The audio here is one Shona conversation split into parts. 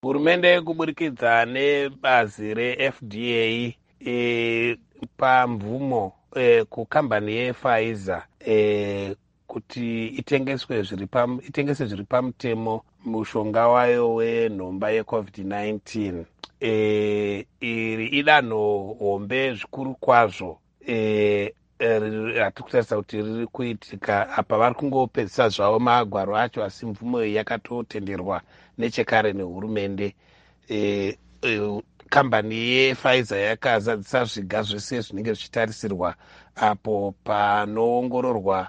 Hurumende kuburikidza nebazi reFDA pamvumo kukambani yePfizer kuti itengeswe zviri itengese zviri pamutemo mushonga wayo wenhomba yeCovid-19. Iri idanho hombe zvikuru kwazvo ratiri kutarisa kuti riri kuitika apa. Vari kungopedzisa zvavo magwaro acho, asi mvumo iyi yakatotenderwa nechekare nehurumende. Kambani yePfizer yakazadzisa zviga zvese zvinenge zvichitarisirwa apo panoongororwa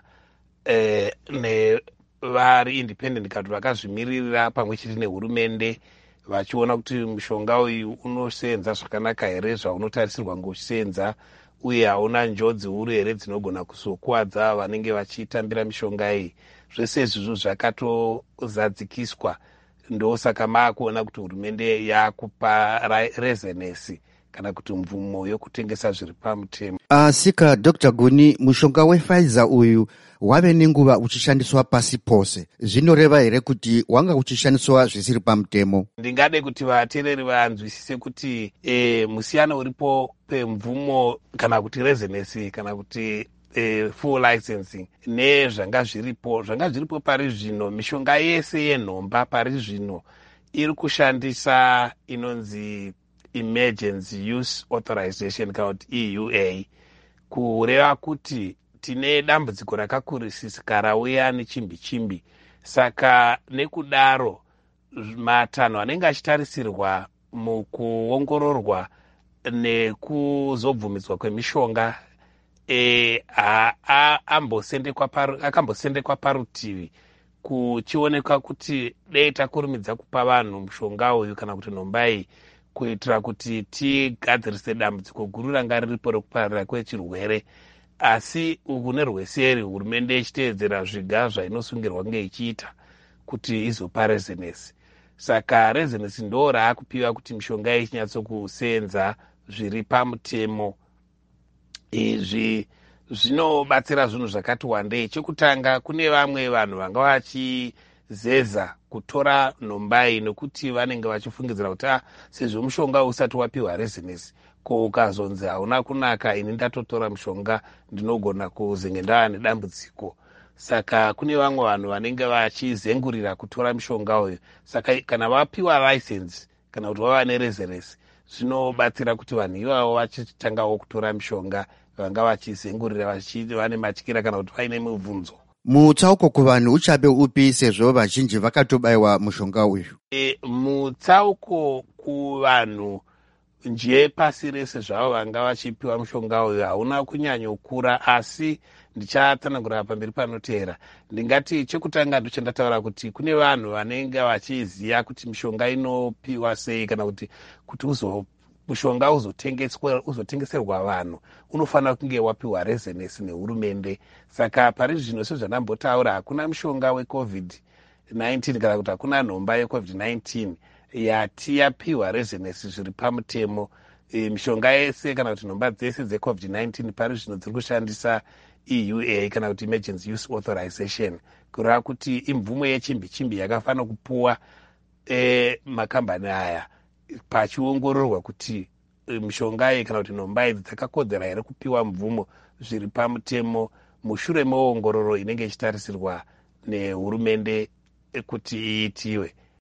nevari independent kana kuti vakazvimiririra pamwe chete nehurumende, vachiona kuti mushonga uyu unosenza zvakanaka here zvaunotarisirwa ngochisenza, uye hauna njodzi huru here dzinogona kuzokuvadza vanenge vachitambira mishonga iyi. Zvese izvizvo zvakatozadzikiswa, ndosaka maakuona kuti hurumende yakupa rezenesi kana kuti mvumo yokutengesa zviri pamutemo. Asika Dr Guni, mushonga wePfizer uyu wave nenguva uchishandiswa pasi pose. Zvinoreva here kuti wanga uchishandiswa zvisiri pamutemo? Ndingade kuti vateereri vanzwisise kuti musiyano uripo pemvumo kana kuti rezenesi kana kuti full licensing nezvanga zviripo. Zvanga zviripo pari zvino, mishonga yese yenhomba pari zvino iri kushandisa inonzi emergency use authorization kana kuti EUA, kureva kuti tine dambudziko rakakurisisika rauya nechimbi chimbi. Saka nekudaro matanho anenge achitarisirwa mukuongororwa nekuzobvumidzwa kwemishonga akambosendekwa parutivi, kuchionekwa kuti dei takurumidza kupa vanhu mushonga uyu kana kuti nhomba iyi, kuitira kuti tigadzirise dambudziko guru ranga riripo rekupararira kwechirwere. Asi uku nerweseri hurumende ichiteedzera zviga zvainosungirwa kunge ichiita kuti izopa rezenesi. Saka rezenesi ndo raakupiwa kuti mishonga iyi ichinyatsokusenza zviri pamutemo. Izvi zvinobatsira zvinhu zvakati wandei. Chekutanga, kune vamwe vanhu vanga vachizeza kutora nhomba iyi nekuti vanenge vachifungidzira kuti a sezvo mushonga usati wapiwa rezenesi, ko ukazonzi hauna kunaka, ini ndatotora mushonga, ndinogona kuzenge ndava nedambudziko. Saka kune vamwe vanhu vanenge vachizengurira kutora mushonga uyu. Saka kana vapiwa license kana kuti vava nerezenesi, zvinobatsira kuti vanhu ivavo vachitangawo kutora mishonga vanga vachizengurira vane matyira kana kuti vaine mibvunzo. Mutsauko kuvanhu uchabe upi, sezvo vazhinji vakatobayiwa mushonga uyu? Mutsauko kuvanhu nje pasi rese zvavo vanga vachipiwa mushonga uyu hauna kunyanyokura, asi ndichatsanangura pamberi panoteera. Ndingati chekutanga ndochandataura kuti kune vanhu vanenge vachiziva kuti mishonga inopiwa sei, kana kuti mushonga uzotengeserwa vanhu unofanira kunge wapiwa rezenesi nehurumende. Saka pari zvino, sezvandambotaura, hakuna mushonga weCovid-19 kana kuti hakuna nhomba yeCovid-19 yati yapiwa rezenesi zviri pamutemo. Mishonga yese kana kuti nhomba dzese dzeCovid-19 pari zvino dziri kushandisa EUA kana kuti emergency use authorization, kureva kuti imvumo yechimbi chimbi yakafanira kupuwa makambani aya pachiongororwa kuti mishonga iyi kana kuti nhomba idzi dzakakodzera here kupiwa mvumo zviri pamutemo, mushure meongororo inenge ichitarisirwa nehurumende kuti iitiwe.